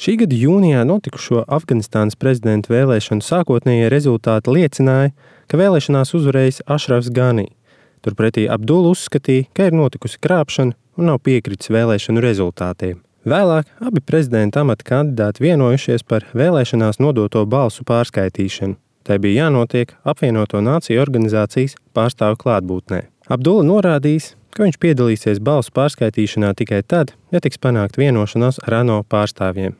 Šī gada jūnijā notikušo Afganistānas prezidenta vēlēšanu sākotnējie rezultāti liecināja, ka vēlēšanās uzvarējis Ašrafs Gani. Turpretī Abdula uzskatīja, ka ir notikusi krāpšana un nav piekritis vēlēšanu rezultātiem. Vēlāk abi prezidenta amata kandidāti vienojušies par vēlēšanās nodoto balsu pārskaitīšanu. Tai bija jānotiek Apvienoto Nāciju organizācijas pārstāvu klātbūtnē. Abdula norādījis, ka viņš piedalīsies balsu pārskaitīšanā tikai tad, ja tiks panākt vienošanās ar ANO pārstāvjiem.